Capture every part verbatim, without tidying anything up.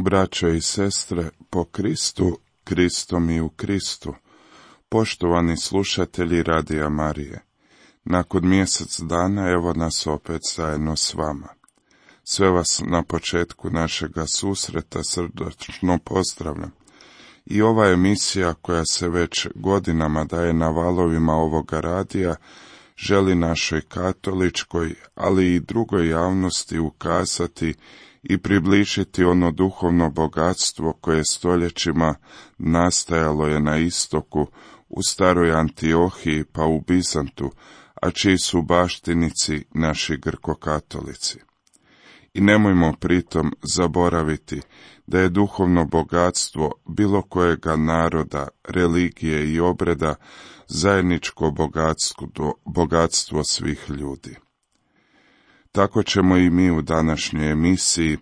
Braćo i sestre, po Kristu, Kristom i u Kristu, poštovani slušatelji Radija Marije, nakon mjesec dana evo nas opet zajedno s vama. Sve vas na početku našega susreta srdačno pozdravljam. I ova emisija koja se već godinama daje na valovima ovoga radija, želi našoj katoličkoj, ali i drugoj javnosti ukazati i približiti ono duhovno bogatstvo koje stoljećima nastajalo je na istoku, u staroj Antiohiji pa u Bizantu, a čiji su baštinici naši grkokatolici. I nemojmo pritom zaboraviti da je duhovno bogatstvo bilo kojega naroda, religije i obreda zajedničko bogatstvo, bogatstvo svih ljudi. Tako ćemo i mi u današnjoj emisiji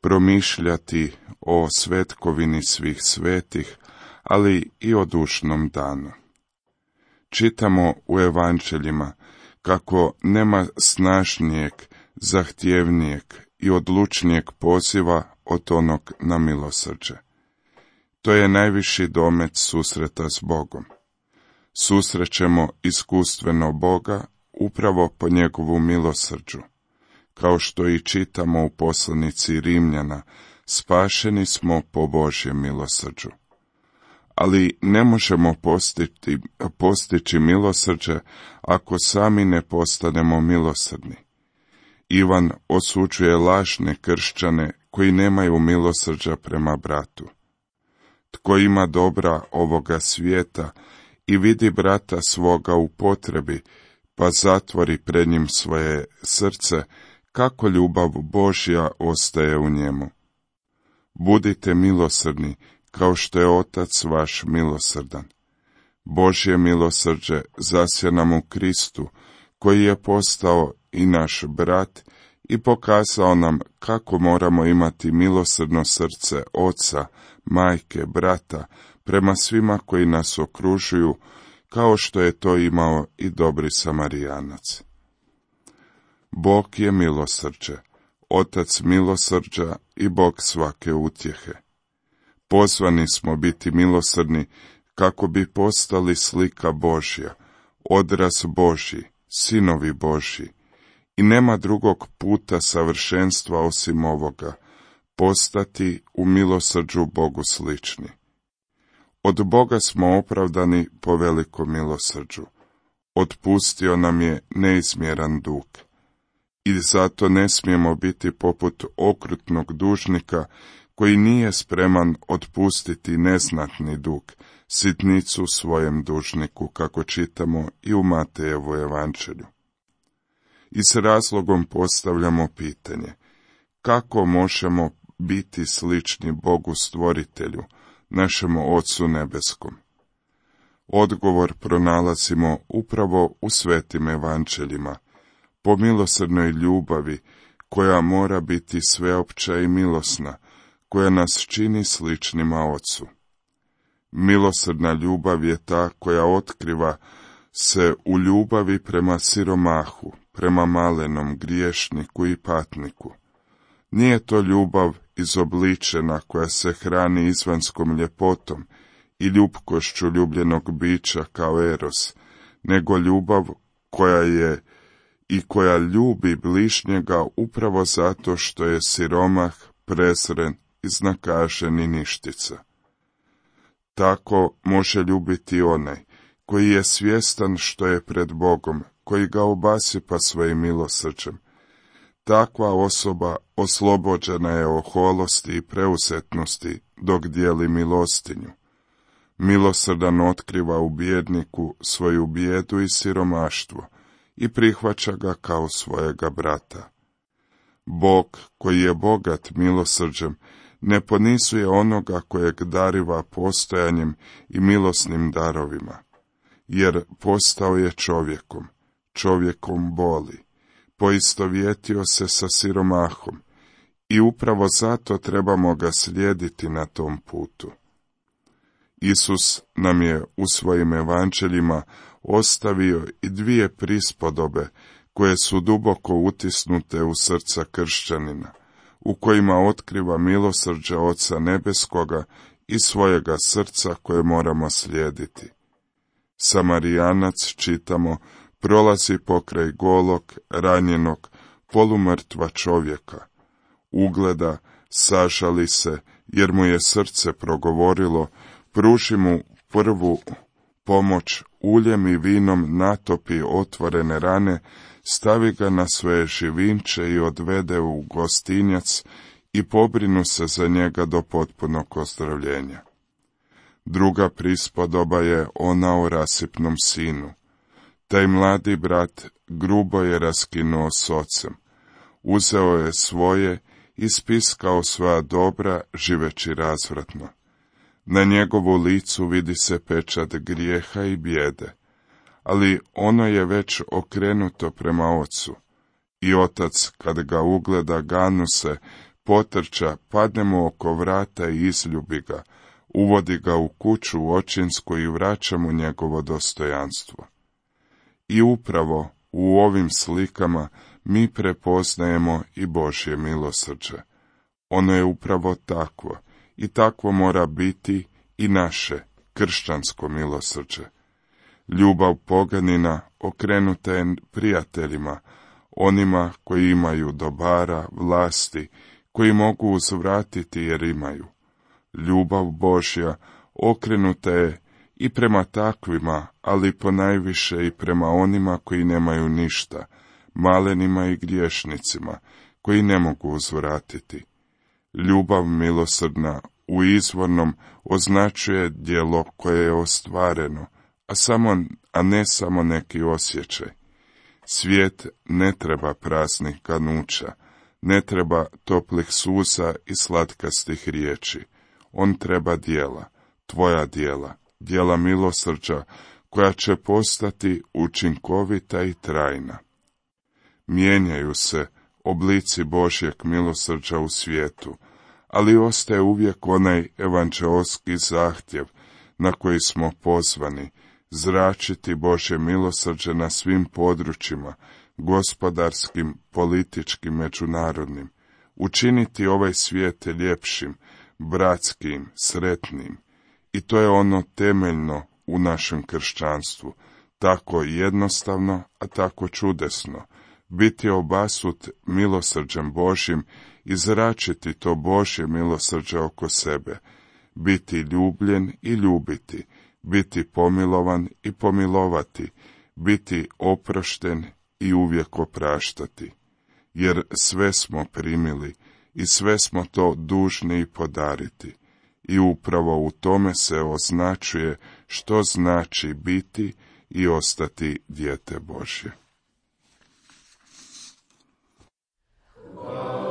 promišljati o svetkovini svih svetih, ali i o dušnom danu. Čitamo u evanđeljima kako nema snažnijeg, zahtjevnijeg i odlučnijeg poziva od onog na milosrđe. To je najviši domet susreta s Bogom. Susrećemo iskustveno Boga upravo po njegovu milosrđu. Kao što i čitamo u poslanici Rimljana, spašeni smo po Božjem milosrđu. Ali ne možemo postići, postići milosrđe ako sami ne postanemo milosrdni. Ivan osuđuje lažne kršćane koji nemaju milosrđa prema bratu. Tko ima dobra ovoga svijeta i vidi brata svoga u potrebi, pa zatvori pred njim svoje srce, kako ljubav Božja ostaje u njemu. Budite milosrdni, kao što je Otac vaš milosrdan. Božje milosrđe zasja nam u Kristu, koji je postao i naš brat i pokazao nam kako moramo imati milosrdno srce oca, majke, brata, prema svima koji nas okružuju, kao što je to imao i dobri Samarijanac. Bog je milosrđe, Otac milosrđa i Bog svake utjehe. Pozvani smo biti milosrdni kako bi postali slika Božja, odraz Božji, sinovi Božji. I nema drugog puta savršenstva osim ovoga, postati u milosrđu Bogu slični. Od Boga smo opravdani po velikom milosrđu. Otpustio nam je neizmjeran dug. I zato ne smijemo biti poput okrutnog dužnika koji nije spreman otpustiti neznatni dug, sitnicu svojem dužniku, kako čitamo i u Matejevu evanđelju. I s razlogom postavljamo pitanje, kako možemo biti slični Bogu stvoritelju, našemu Ocu nebeskom? Odgovor pronalazimo upravo u svetim evanđeljima, po milosrdnoj ljubavi koja mora biti sveopća i milosna, koja nas čini sličnima Ocu. Milosrdna ljubav je ta koja otkriva se u ljubavi prema siromahu, prema malenom griješniku i patniku. Nije to ljubav izobličena koja se hrani izvanskom ljepotom i ljubkošću ljubljenog bića kao eros, nego ljubav koja je i koja ljubi bližnjega upravo zato što je siromah, prezren, iznakažen i ništica. Tako može ljubiti onaj koji je svjestan što je pred Bogom, koji ga obasipa svojim milosrđem. Takva osoba oslobođena je oholosti i preuzetnosti dok dijeli milostinju. Milosrdan otkriva u bijedniku svoju bijedu i siromaštvo i prihvaća ga kao svojega brata. Bog, koji je bogat milosrđem, ne ponizuje onoga kojeg dariva postojanjem i milosnim darovima, jer postao je čovjekom, čovjekom boli, poistovjetio se sa siromahom i upravo zato trebamo ga slijediti na tom putu. Isus nam je u svojim evanđeljima ostavio i dvije prispodobe koje su duboko utisnute u srca kršćanina, u kojima otkriva milosrđe Oca Nebeskoga i svojega srca koje moramo slijediti. Samarijanac, čitamo, prolazi pokraj golog, ranjenog, polumrtva čovjeka. Ugleda, sažali se, jer mu je srce progovorilo, pruži mu prvu pomoć, uljem i vinom natopi otvorene rane, stavi ga na svoje živinče i odvede u gostinjac i pobrinu se za njega do potpunog ozdravljenja. Druga prispodoba je ona o rasipnom sinu. Taj mladi brat grubo je raskinuo s ocem. Uzeo je svoje i spiskao svoja dobra, živeći razvratno. Na njegovu licu vidi se pečat grijeha i bijede, ali ono je već okrenuto prema ocu. I otac, kad ga ugleda, ganu se, potrča, padne mu oko vrata i izljubi ga, uvodi ga u kuću očinsku i vraća mu njegovo dostojanstvo. I upravo u ovim slikama mi prepoznajemo i Božje milosrđe. Ono je upravo takvo i takvo mora biti i naše kršćansko milosrđe. Ljubav poganina okrenuta je prijateljima, onima koji imaju dobara, vlasti, koji mogu uzvratiti jer imaju. Ljubav Božja okrenuta je i prema takvima, ali ponajviše i prema onima koji nemaju ništa, malenima i griješnicima, koji ne mogu uzvratiti. Ljubav milosrdna u izvornom označuje djelo koje je ostvareno, a, samo, a ne samo neki osjećaj. Svijet ne treba praznih ganuća, ne treba toplih suza i slatkastih riječi. On treba djela, tvoja djela, djela milosrđa, koja će postati učinkovita i trajna. Mijenjaju se oblici Božjeg milosrđa u svijetu, ali ostaje uvijek onaj evanđeoski zahtjev na koji smo pozvani, zračiti Božje milosrđe na svim područjima, gospodarskim, političkim, međunarodnim, učiniti ovaj svijet ljepšim, bratskim, sretnim. I to je ono temeljno u našem kršćanstvu, tako jednostavno, a tako čudesno, biti obasut milosrđem Božjim i zračiti to Božje milosrđe oko sebe, biti ljubljen i ljubiti, biti pomilovan i pomilovati, biti oprošten i uvijek opraštati, jer sve smo primili i sve smo to dužni i podariti. I upravo u tome se označuje što znači biti i ostati dijete Božje. Oh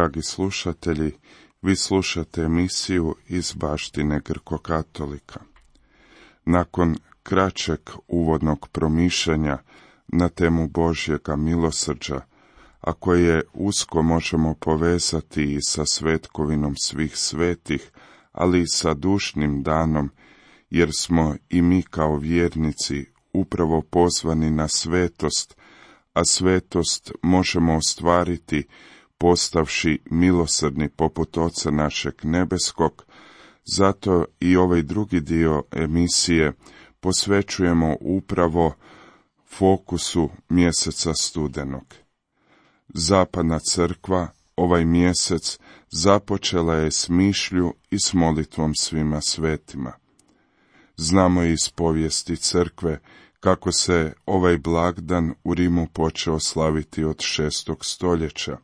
dragi slušatelji, vi slušate emisiju iz baštine Grko-katolika. Nakon kraćeg uvodnog promišljanja na temu Božjega milosrđa, a koje usko možemo povezati i sa svetkovinom svih svetih, ali i sa dušnim danom, jer smo i mi kao vjernici upravo pozvani na svetost, a svetost možemo ostvariti postavši milosrdni poput Oca našeg nebeskog. Zato i ovaj drugi dio emisije posvećujemo upravo fokusu mjeseca studenog. Zapadna crkva ovaj mjesec započela je s mišlju i s molitvom svima svetima. Znamo iz povijesti crkve kako se ovaj blagdan u Rimu počeo slaviti od šestog stoljeća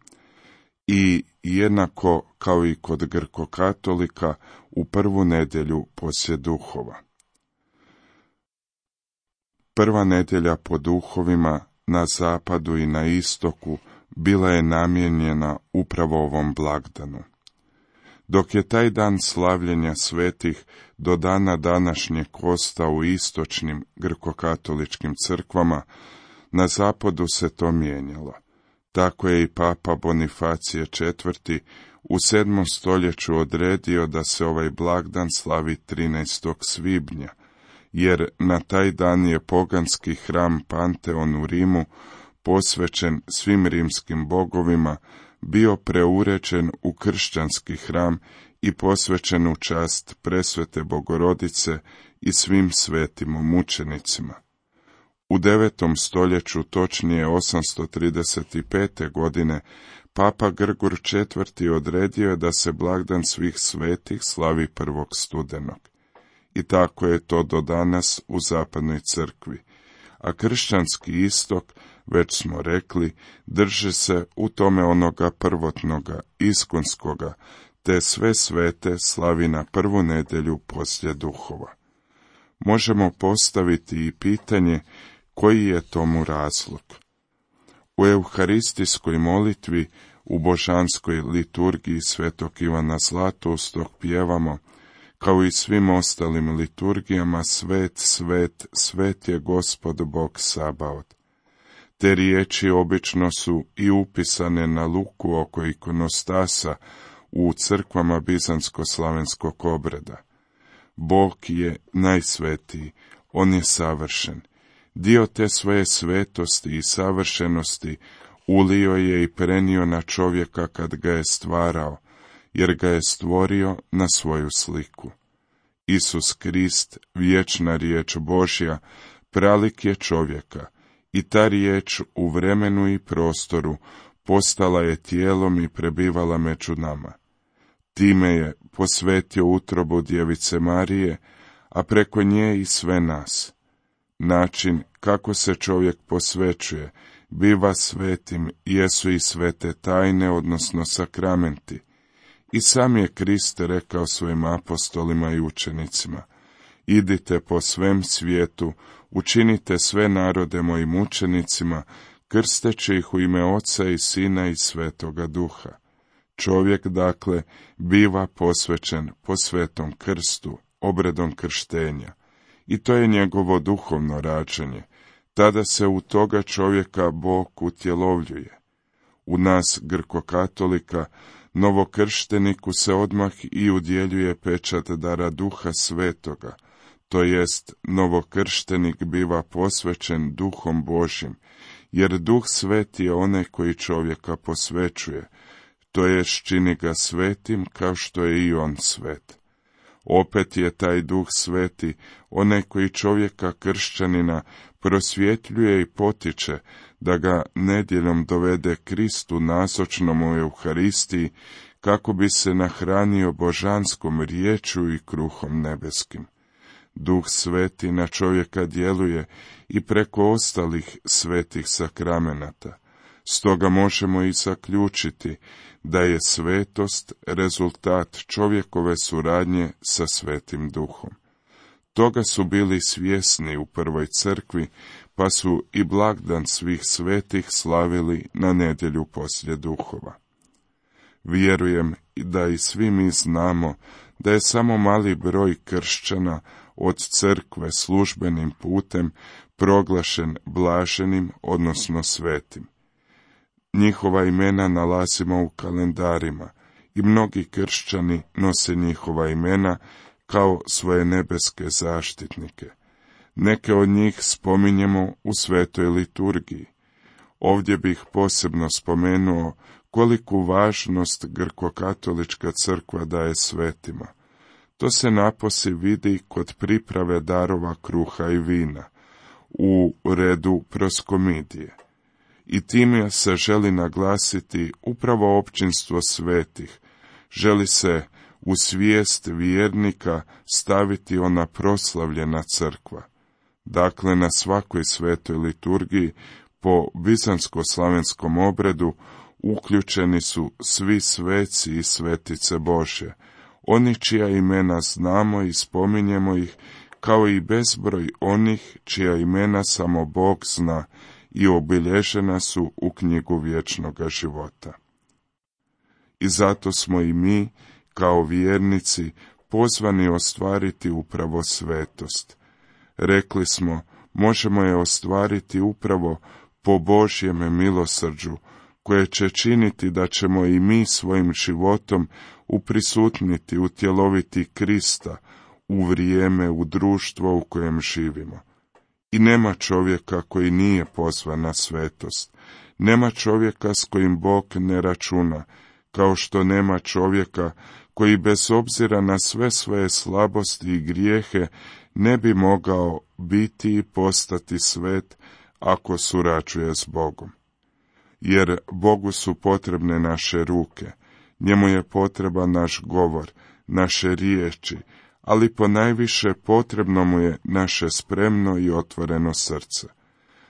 i jednako kao i kod Grko-katolika u prvu nedjelju poslije duhova. Prva nedjelja po duhovima na zapadu i na istoku bila je namijenjena upravo ovom blagdanu. Dok je taj dan slavljenja svetih do dana današnjeg ostao u istočnim grko-katoličkim crkvama, na zapadu se to mijenjalo. Tako je i papa Bonifacije četvrti u sedmom stoljeću odredio da se ovaj blagdan slavi trinaestog svibnja, jer na taj dan je poganski hram Panteon u Rimu, posvećen svim rimskim bogovima, bio preuređen u kršćanski hram i posvećen u čast presvete Bogorodice i svim svetim mučenicima. U devetom stoljeću, točnije osamsto trideset pete. godine, papa Grgur četvrti odredio je da se blagdan svih svetih slavi prvog studenog. I tako je to do danas u zapadnoj crkvi. A kršćanski istok, već smo rekli, drže se u tome onoga prvotnoga, iskonskoga, te sve svete slavi na prvu nedjelju poslije duhova. Možemo postaviti i pitanje koji je tomu razlog. U euharistijskoj molitvi, u božanskoj liturgiji svetog Ivana Zlatoustog pjevamo, kao i svim ostalim liturgijama, svet, svet, svet je Gospod Bog Sabaot. Te riječi obično su i upisane na luku oko ikonostasa u crkvama bizantsko-slavenskog obreda. Bog je najsvetiji, on je savršen. Dio te svoje svetosti i savršenosti ulio je i prenio na čovjeka kad ga je stvarao, jer ga je stvorio na svoju sliku. Isus Krist, vječna riječ Božja, pralik je čovjeka, i ta riječ u vremenu i prostoru postala je tijelom i prebivala među nama. Time je posvetio utrobu djevice Marije, a preko nje i sve nas. Način kako se čovjek posvećuje, biva svetim, jesu i svete tajne, odnosno sakramenti. I sam je Krist rekao svojim apostolima i učenicima: idite po svem svijetu, učinite sve narode mojim učenicima, krsteći ih u ime Oca i Sina i Svetoga Duha. Čovjek, dakle, biva posvećen po svetom krstu, obredom krštenja. I to je njegovo duhovno rađanje. Tada se u toga čovjeka Bog utjelovljuje. U nas, Grko-katolika, novokršteniku se odmah i udjeljuje pečat dara Duha Svetoga, to jest novokrštenik biva posvećen Duhom Božjim, jer Duh Sveti je onaj koji čovjeka posvećuje, to jest čini ga svetim kao što je i on svet. Opet je taj Duh Sveti onaj koji čovjeka kršćanina prosvjetljuje i potiče da ga nedjeljom dovede Kristu nazočnom u Euharistiji, kako bi se nahranio božanskom riječju i kruhom nebeskim. Duh Sveti na čovjeka djeluje i preko ostalih svetih sakramenata. Stoga možemo i zaključiti da je svetost rezultat čovjekove suradnje sa Svetim Duhom. Toga su bili svjesni u prvoj crkvi, pa su i blagdan svih svetih slavili na nedjelju poslije duhova. Vjerujem da i svi mi znamo da je samo mali broj kršćana od crkve službenim putem proglašen blaženim, odnosno svetim. Njihova imena nalazimo u kalendarima i mnogi kršćani nose njihova imena kao svoje nebeske zaštitnike. Neke od njih spominjemo u svetoj liturgiji. Ovdje bih posebno spomenuo koliku važnost grkokatolička crkva daje svetima. To se napose vidi kod priprave darova kruha i vina, u redu proskomidije. I time se želi naglasiti upravo općinstvo svetih, želi se u svijest vjernika staviti ona proslavljena crkva. Dakle, na svakoj svetoj liturgiji po bizantsko-slavenskom obredu uključeni su svi sveci i svetice Božje, oni čija imena znamo i spominjemo ih, kao i bezbroj onih čija imena samo Bog zna i obilježena su u knjigu vječnoga života. I zato smo i mi, kao vjernici, pozvani ostvariti upravo svetost. Rekli smo, možemo je ostvariti upravo po Božjem milosrđu, koje će činiti da ćemo i mi svojim životom uprisutniti, utjeloviti Krista u vrijeme, u društvo u kojem živimo. I nema čovjeka koji nije pozvan na svetost. Nema čovjeka s kojim Bog ne računa, kao što nema čovjeka koji bez obzira na sve svoje slabosti i grijehe ne bi mogao biti i postati svet ako surađuje s Bogom. Jer Bogu su potrebne naše ruke, njemu je potreban naš govor, naše riječi, ali ponajviše potrebno mu je naše spremno i otvoreno srce.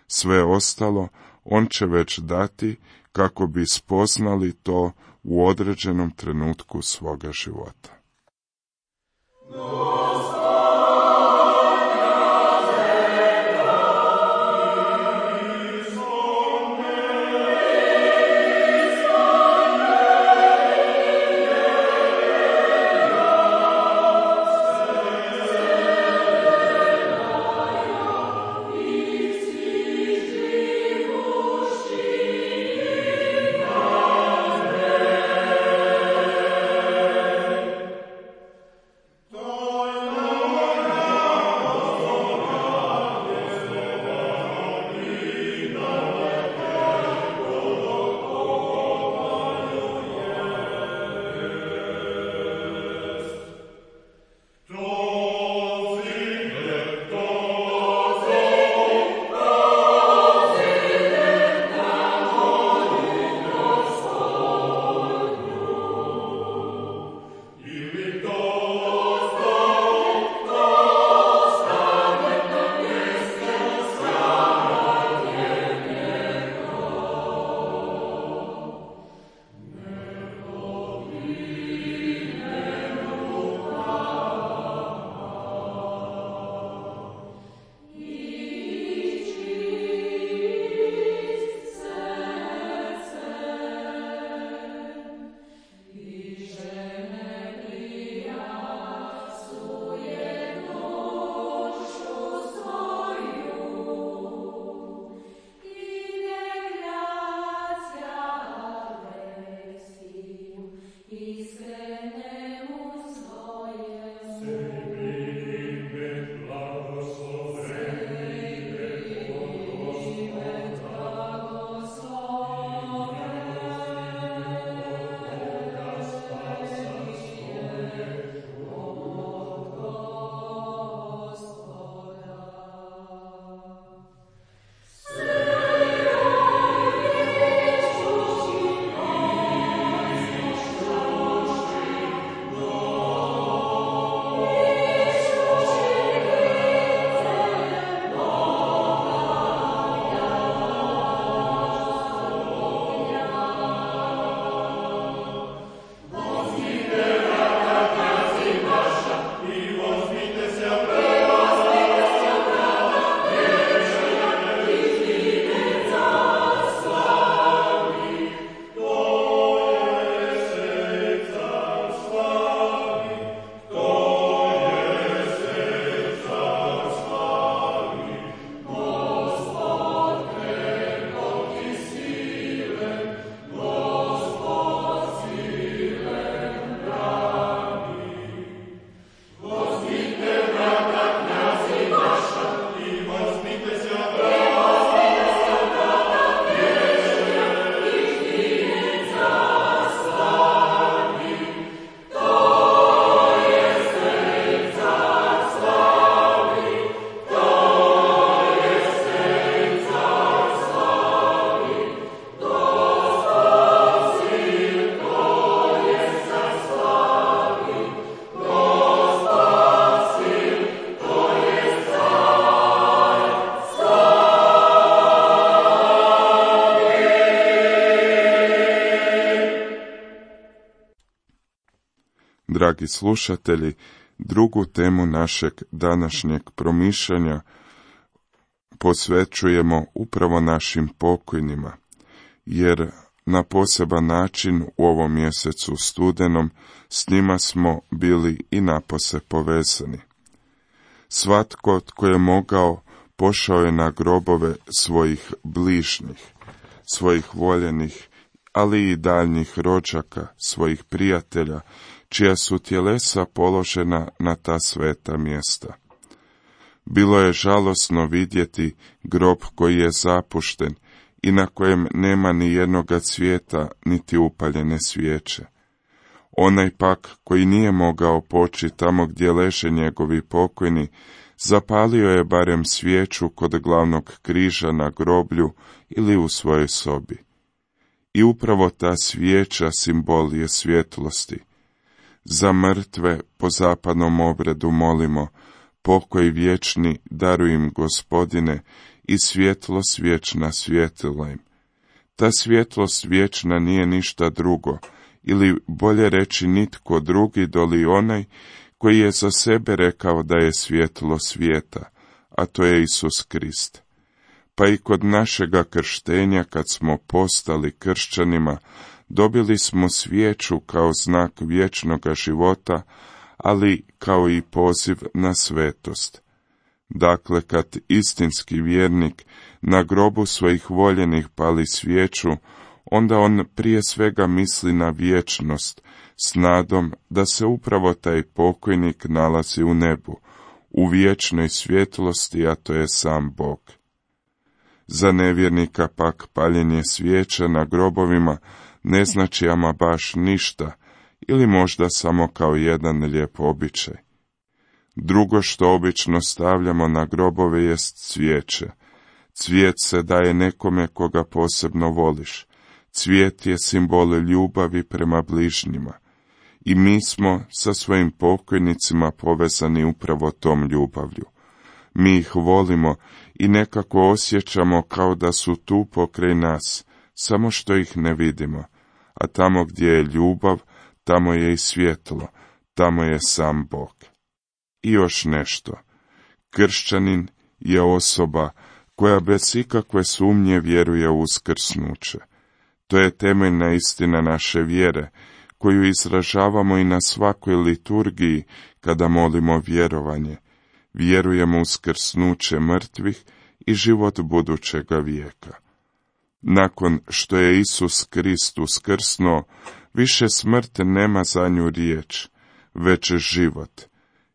Sve ostalo on će već dati kako bi spoznali to u određenom trenutku svoga života. dragi slušatelji, drugu temu našeg današnjeg promišljanja posvećujemo upravo našim pokojnima, jer na poseban način u ovom mjesecu studenom s njima smo bili i napose povezani. Svatko tko je mogao pošao je na grobove svojih bližnjih, svojih voljenih, ali i daljnjih rođaka, svojih prijatelja, čija su tjelesa položena na ta sveta mjesta. Bilo je žalosno vidjeti grob koji je zapušten i na kojem nema ni jednoga cvijeta, niti upaljene svijeće. Onaj pak koji nije mogao poći tamo gdje leže njegovi pokojni, zapalio je barem svijeću kod glavnog križa na groblju ili u svojoj sobi. I upravo ta svijeća simbol je svjetlosti. Za mrtve po zapadnom obredu molimo: pokoj vječni daruj im, Gospodine, i svjetlost vječna svjetila im. Ta svjetlost vječna nije ništa drugo, ili bolje reći nitko drugi doli onaj koji je za sebe rekao da je svjetlo svijeta, a to je Isus Krist. Pa i kod našega krštenja, kad smo postali kršćanima, dobili smo svijeću kao znak vječnoga života, ali kao i poziv na svetost. Dakle, kad istinski vjernik na grobu svojih voljenih pali svijeću, onda on prije svega misli na vječnost, s nadom da se upravo taj pokojnik nalazi u nebu, u vječnoj svjetlosti, a to je sam Bog. Za nevjernika pak paljenje svijeća na grobovima ne znači ama baš ništa, ili možda samo kao jedan lijep običaj. Drugo što obično stavljamo na grobove jest cvijeće. Cvijet se daje nekome koga posebno voliš. Cvijet je simbol ljubavi prema bližnjima. I mi smo sa svojim pokojnicima povezani upravo tom ljubavlju. Mi ih volimo i nekako osjećamo kao da su tu pokraj nas, samo što ih ne vidimo. A tamo gdje je ljubav, tamo je i svjetlo, tamo je sam Bog. I još nešto. Kršćanin je osoba koja bez ikakve sumnje vjeruje u uskrsnuće. To je temeljna istina naše vjere, koju izražavamo i na svakoj liturgiji kada molimo vjerovanje. Vjerujemo u uskrsnuće mrtvih i život budućega vijeka. Nakon što je Isus Krist uskrsnuo, više smrt nema za nju riječ, već život,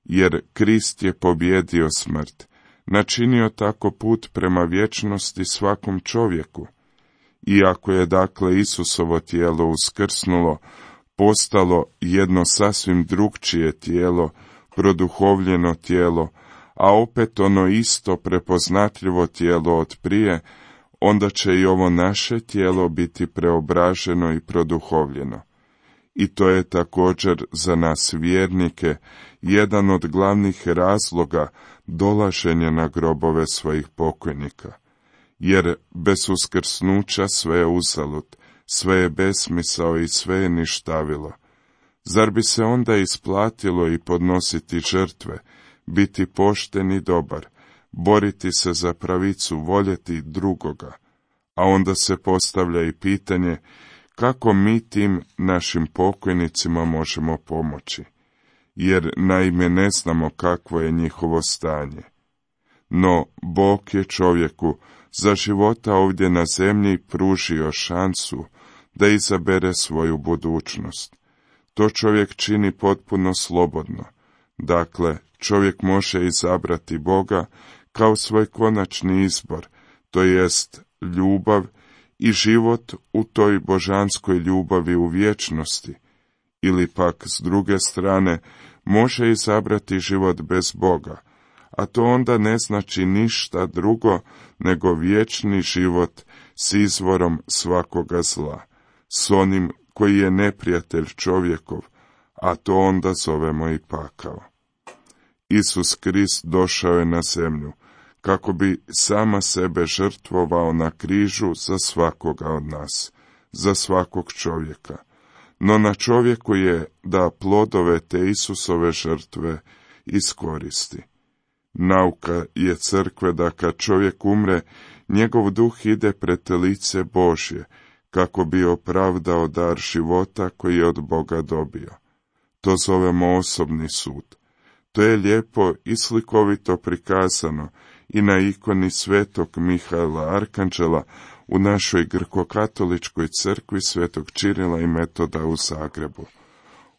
jer Krist je pobjedio smrt, načinio tako put prema vječnosti svakom čovjeku. Iako je dakle Isusovo tijelo uskrsnulo, postalo jedno sasvim drugčije tijelo, produhovljeno tijelo, a opet ono isto prepoznatljivo tijelo od prije, onda će i ovo naše tijelo biti preobraženo i produhovljeno. I to je također za nas vjernike jedan od glavnih razloga dolaženja na grobove svojih pokojnika. Jer bez uskrsnuća sve je uzalud, sve je besmisao i sve je ništavilo. Zar bi se onda isplatilo i podnositi žrtve, biti pošten i dobar, boriti se za pravicu, voljeti drugoga? A onda se postavlja i pitanje kako mi tim našim pokojnicima možemo pomoći, jer naime ne znamo kakvo je njihovo stanje. No Bog je čovjeku za života ovdje na zemlji pružio šansu da izabere svoju budućnost. To čovjek čini potpuno slobodno. Dakle, čovjek može izabrati Boga kao svoj konačni izbor, to jest ljubav i život u toj božanskoj ljubavi u vječnosti, ili pak s druge strane može izabrati život bez Boga, a to onda ne znači ništa drugo nego vječni život s izvorom svakoga zla, s onim koji je neprijatelj čovjekov, a to onda zovemo i pakao. Isus Krist došao je na zemlju kako bi sama sebe žrtvovao na križu za svakoga od nas, za svakog čovjeka. no na čovjeku je da plodove te Isusove žrtve iskoristi. Nauka je crkve da kad čovjek umre, njegov duh ide pred lice Božje, kako bi opravdao dar života koji je od Boga dobio. To zovemo osobni sud. To je lijepo i slikovito prikazano i na ikoni svetog Mihaela Arkanđela u našoj grkokatoličkoj crkvi svetog Čirila i Metoda u Zagrebu.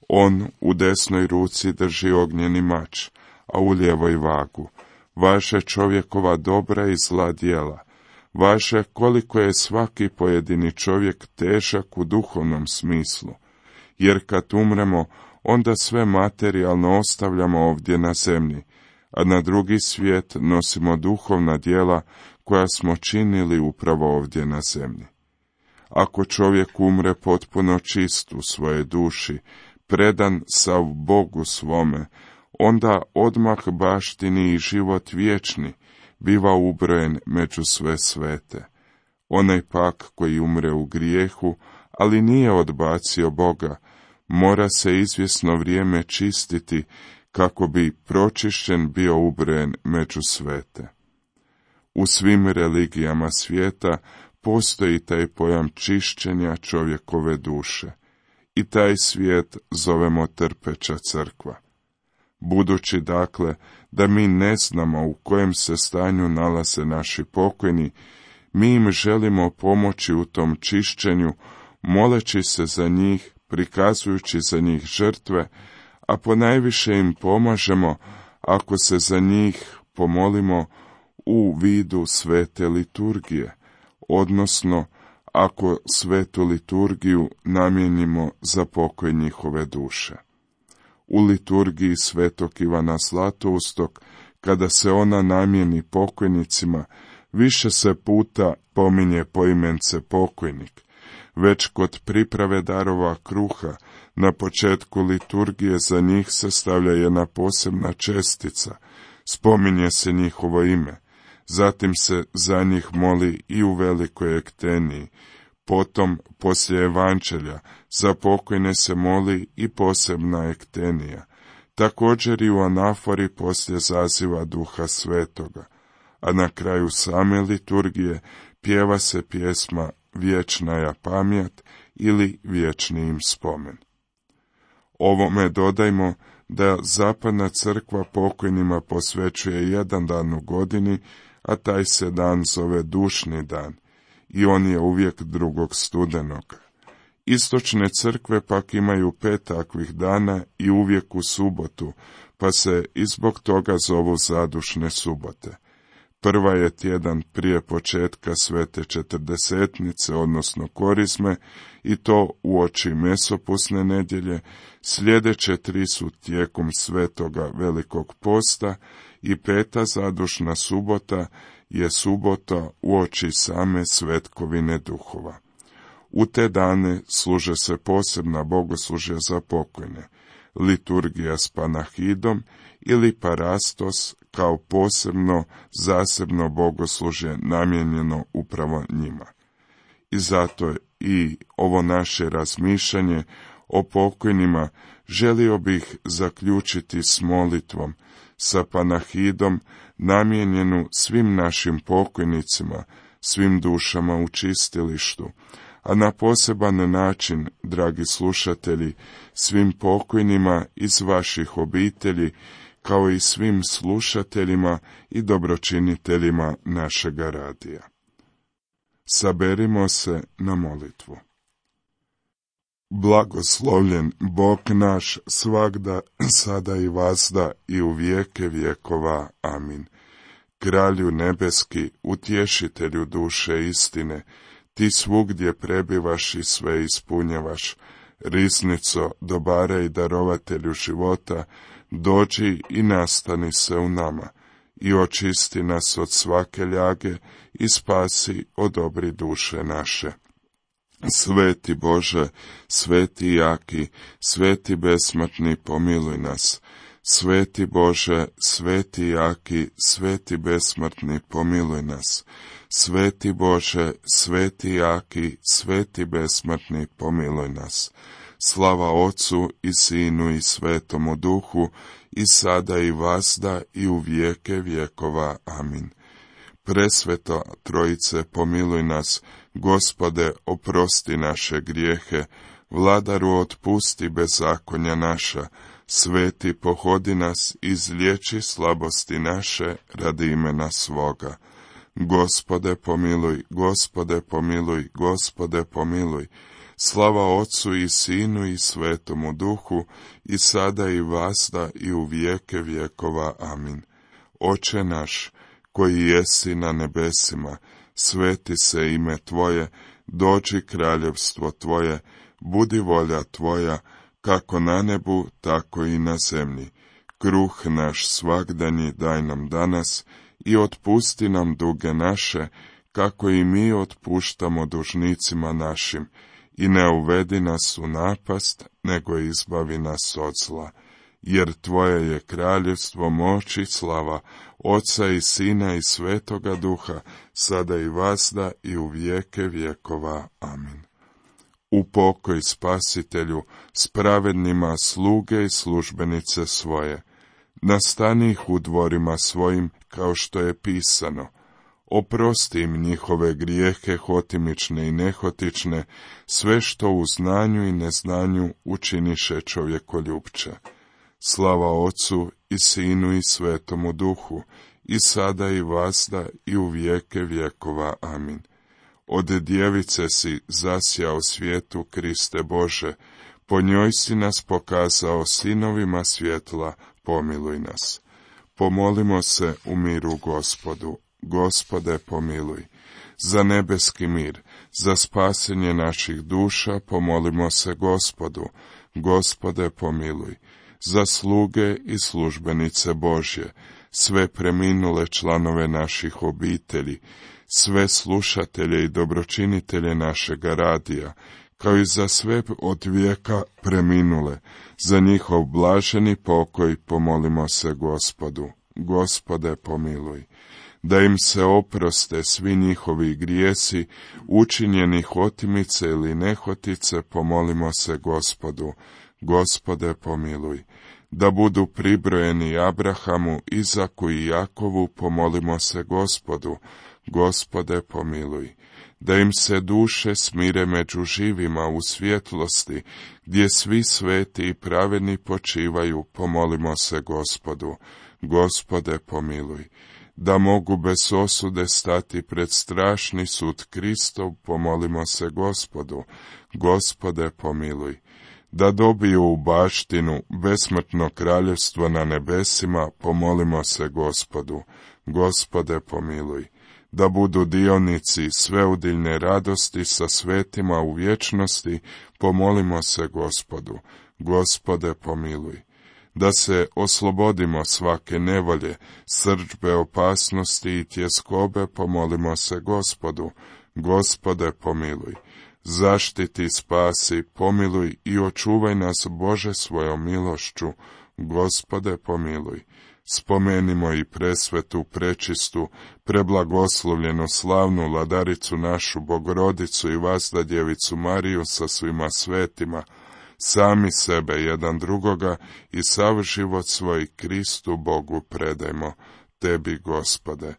On u desnoj ruci drži ognjeni mač, a u lijevoj vagu. Važe čovjekova dobra i zla djela. Važe koliko je svaki pojedini čovjek težak u duhovnom smislu. Jer kad umremo, onda sve materijalno ostavljamo ovdje na zemlji, a na drugi svijet nosimo duhovna djela koja smo činili upravo ovdje na zemlji. Ako čovjek umre potpuno čist u svojoj duši, predan sav Bogu svome, onda odmah baštini i život vječni biva ubrojen među sve svete. Onaj pak koji umre u grijehu, ali nije odbacio Boga, mora se izvjesno vrijeme čistiti kako bi pročišćen bio ubrojen među svete. U svim religijama svijeta postoji taj pojam čišćenja čovjekove duše i taj svijet zovemo trpeća crkva. Budući dakle da mi ne znamo u kojem se stanju nalaze naši pokojni, mi im želimo pomoći u tom čišćenju, moleći se za njih, prikazujući za njih žrtve, a ponajviše im pomažemo ako se za njih pomolimo u vidu svete liturgije, odnosno ako svetu liturgiju namijenimo za pokoj njihove duše. U liturgiji svetog Ivana Zlatoustog, kada se ona namijeni pokojnicima, više se puta pominje poimence pokojnik. Već kod priprave darova kruha, na početku liturgije za njih se stavlja jedna posebna čestica, spominje se njihovo ime, zatim se za njih moli i u velikoj ekteniji, potom, poslije evanđelja, za pokojne se moli i posebna ektenija, također i u anafori poslije zaziva Duha Svetoga, a na kraju same liturgije pjeva se pjesma Vječnaja pamjat ili Vječni im spomen. Ovome dodajmo da zapadna crkva pokojnima posvećuje jedan dan u godini, a taj se dan zove dušni dan i on je uvijek drugog studenog. Istočne crkve pak imaju pet takvih dana i uvijek u subotu, pa se i zbog toga zovu zadušne subote. Prva je tjedan prije početka svete četrdesetnice, odnosno korizme, i to uoči mesopusne nedjelje, sljedeće tri su tijekom svetoga velikog posta i peta zadušna subota je subota uoči same svetkovine duhova. U te dane služe se posebna bogoslužja za pokojne, liturgija s panahidom ili parastos kao posebno zasebno bogoslužje namijenjeno upravo njima. I zato i ovo naše razmišljanje o pokojnima želio bih zaključiti s molitvom, sa panahidom namijenjenu svim našim pokojnicima, svim dušama u čistilištu, a na poseban način, dragi slušatelji, svim pokojnima iz vaših obitelji, kao i svim slušateljima i dobročiniteljima našega radija. Saberimo se na molitvu. Blagoslovljen Bog naš svagda, sada i vazda i u vijeke vjekova. Amin. Kralju nebeski, utješitelju duše istine, ti svugdje prebivaš i sve ispunjavaš. Riznico, dobara i darovatelju života, dođi i nastani se u nama i očisti nas od svake ljage i spasi odobri duše naše. Sveti Bože, sveti jaki, sveti besmrtni, pomiluj nas. Sveti Bože, sveti jaki, sveti besmrtni, pomiluj nas. Sveti Bože, sveti jaki, sveti besmrtni, pomiluj nas. Slava Ocu i Sinu i Svetomu Duhu, i sada i vazda i u vijeke vjekova. Amin. Presveta Trojice, pomiluj nas. Gospode, oprosti naše grijehe. Vladaru, otpusti bezakonja naša. Sveti, pohodi nas, izliječi slabosti naše radi imena svoga. Gospode, pomiluj, Gospode, pomiluj, Gospode, pomiluj. Slava Ocu i Sinu i Svetomu Duhu, i sada i vazda i u vijeke vjekova. Amin. Oče naš, koji jesi na nebesima, sveti se ime Tvoje, dođi kraljevstvo Tvoje, budi volja Tvoja, kako na nebu, tako i na zemlji. Kruh naš svagdanji daj nam danas, i otpusti nam duge naše, kako i mi otpuštamo dužnicima našim, i ne uvedi nas u napast, nego izbavi nas od zla. Jer Tvoje je kraljevstvo, moć i slava, Oca i Sina i Svetoga Duha, sada i vazda i u vijeke vjekova. Amin. U pokoj Spasitelju, s pravednima sluge i službenice svoje. Nastani ih u dvorima svojim, kao što je pisano. Oprosti im njihove grijehe hotimične i nehotične, sve što u znanju i neznanju učiniše čovjekoljupče. Slava Ocu i Sinu i Svetomu Duhu, i sada i vazda i u vijeke vjekova. Amin. Od djevice si zasjao svijetu, Kriste Bože, po njoj si nas pokazao sinovima svjetla, pomiluj nas. Pomolimo se u miru Gospodu. Gospode, pomiluj. Za nebeski mir, za spasenje naših duša, pomolimo se Gospodu. Gospode, pomiluj. Za sluge i službenice Božje, sve preminule članove naših obitelji, sve slušatelje i dobročinitelje našega radija, kao i za sve od vijeka preminule, za njihov blaženi pokoj pomolimo se Gospodu. Gospode, pomiluj. Da im se oproste svi njihovi grijesi, učinjeni hotimice ili nehotice, pomolimo se Gospodu. Gospode, pomiluj. Da budu pribrojeni Abrahamu, Izaku i Jakovu, pomolimo se Gospodu. Gospode, pomiluj. Da im se duše smire među živima u svjetlosti, gdje svi sveti i pravedni počivaju, pomolimo se Gospodu. Gospode, pomiluj. Da mogu bez osude stati pred strašni sud Kristov, pomolimo se Gospodu. Gospode, pomiluj. Da dobiju u baštinu besmrtno kraljevstvo na nebesima, pomolimo se Gospodu. Gospode, pomiluj. Da budu dionici sveudiljne radosti sa svetima u vječnosti, pomolimo se Gospodu. Gospode, pomiluj. Da se oslobodimo svake nevolje, srdžbe, opasnosti i tjeskobe, pomolimo se Gospodu. Gospode, pomiluj. Zaštiti, spasi, pomiluj i očuvaj nas, Bože, svojom milošću. Gospode, pomiluj. Spomenimo i presvetu, prečistu, preblagoslovljenu, slavnu vladaricu našu, Bogorodicu i vazda djevicu Mariju sa svima svetima, sami sebe jedan drugoga i sav život svoj Kristu Bogu predajmo, Tebi, Gospode.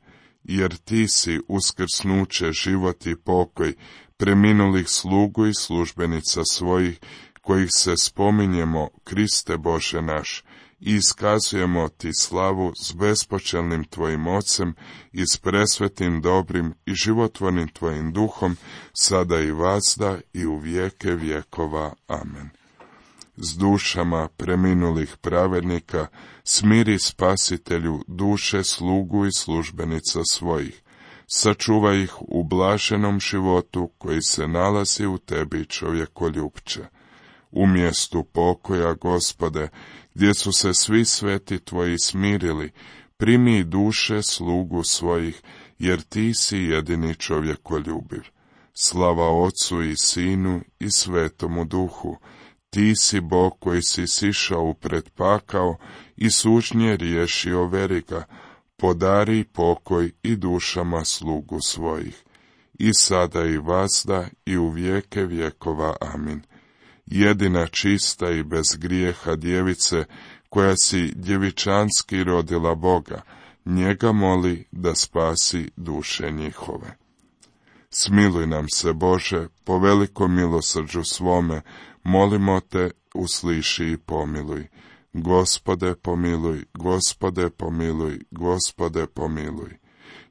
Jer Ti si uskrsnuće, život i pokoj preminulih slugu i službenica svojih, kojih se spominjemo, Kriste Bože naš, i iskazujemo Ti slavu s bespočelnim Tvojim Ocem i s presvetim, dobrim i životvornim Tvojim Duhom, sada i vazda i u vijeke vjekova. Amen. S dušama preminulih pravednika smiri, Spasitelju, duše slugu i službenica svojih. Sačuvaj ih u blaženom životu koji se nalazi u Tebi, čovjekoljupče. U mjestu pokoja, Gospode, gdje su se svi sveti Tvoji smirili, primi duše slugu svojih, jer Ti si jedini čovjekoljubiv. Slava Ocu i Sinu i Svetomu Duhu. Ti si Bog koji si sišao u predpakao i sužnje riješio veriga, podari pokoj i dušama slugu svojih. I sada i vazda i u vijeke vjekova. Amin. jedina čista i bez grijeha djevice, koja si djevičanski rodila Boga, njega moli da spasi duše njihove. Smiluj nam se, Bože, po velikom milosrđu svome, molimo te, usliši i pomiluj. Gospode pomiluj, Gospode pomiluj, Gospode pomiluj.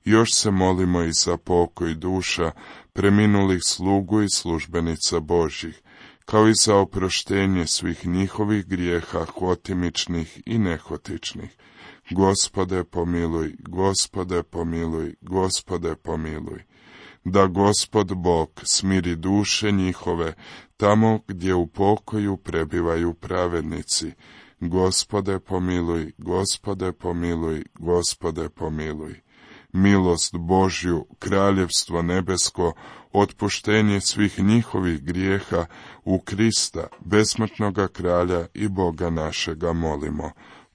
Još se molimo i za pokoj duša preminulih slugu i službenica Božjih, kao i za oproštenje svih njihovih grijeha hotimičnih i nehotičnih. Gospode pomiluj, Gospode pomiluj, Gospode pomiluj. Da Gospod Bog smiri duše njihove tamo gdje u pokoju prebivaju pravednici. Gospode pomiluj, Gospode pomiluj, Gospode pomiluj. Milost Božju, kraljevstvo nebesko, otpuštenje svih njihovih grijeha u Krista, besmrtnoga kralja i Boga našega molimo.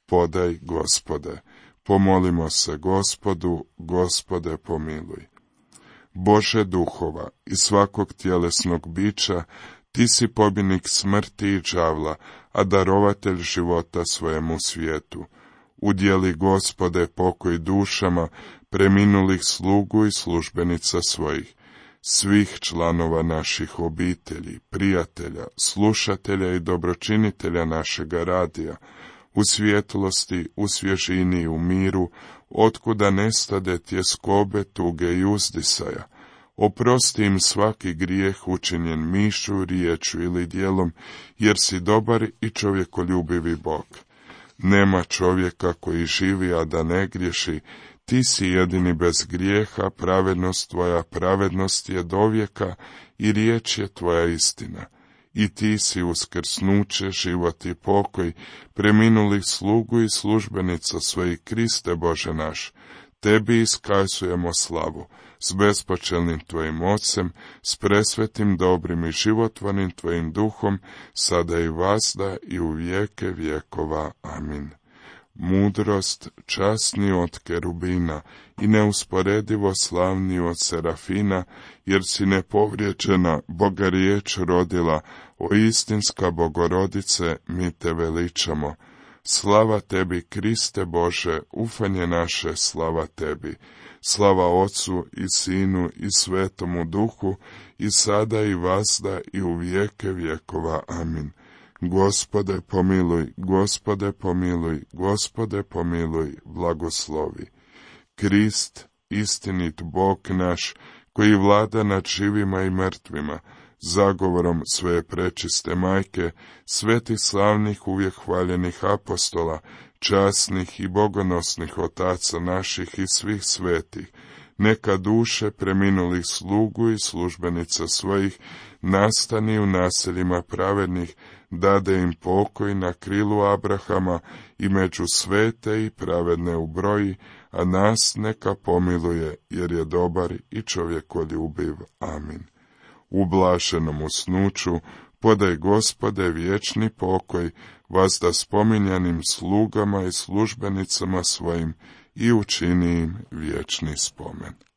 Podaj, Gospode. Pomolimo se Gospodu, Gospode pomiluj. Bože duhova i svakog tjelesnog bića, ti si pobjednik smrti i đavla, a darovatelj života svojemu svijetu. Udjeli, Gospode, pokoj dušama preminulih slugu i službenica svojih, svih članova naših obitelji, prijatelja, slušatelja i dobročinitelja našega radija, u svjetlosti, u svježini i u miru, otkuda nestade tjeskobe, tuge i uzdisaja. Oprosti im svaki grijeh učinjen mišlju, riječju ili djelom, jer si dobar i čovjekoljubivi Bog. Nema čovjeka koji živi, a da ne griješi, ti si jedini bez grijeha, pravednost tvoja, pravednost je dovijeka i riječ je tvoja istina. I ti si uskrsnuće, život i pokoj, preminulih slugu i službenica svojih, Kriste Bože naš. Tebi iskazujemo slavu, s bespočelnim tvojim ocem, s presvetim, dobrim i životvornim tvojim duhom, sada i vazda i u vijeke vjekova. Amin. Mudrost, časni od kerubina i neusporedivo slavni od serafina, jer si nepovrijeđena Boga riječ rodila, o istinska Bogorodice, mi te veličamo. Slava tebi, Kriste Bože, ufanje naše, slava tebi. Slava Otcu i Sinu i Svetomu Duhu, i sada i vazda i u vijeke vjekova. Amin. Gospode pomiluj, Gospode pomiluj, Gospode pomiluj, blagoslovi. Krist, istinit Bog naš, koji vlada nad živima i mrtvima, zagovorom svoje prečiste majke, svetih slavnih uvijek hvaljenih apostola, časnih i bogonosnih otaca naših i svih svetih, neka duše preminulih slugu i službenica svojih nastani u naseljima pravednih, dade im pokoj na krilu Abrahama i među svete i pravedne ubroji, a nas neka pomiluje, jer je dobar i čovjekoljubiv. Amin. U blaženom usnuću podaj, Gospode, vječni pokoj, vazda spominjanim slugama i službenicama svojim i učini im vječni spomen.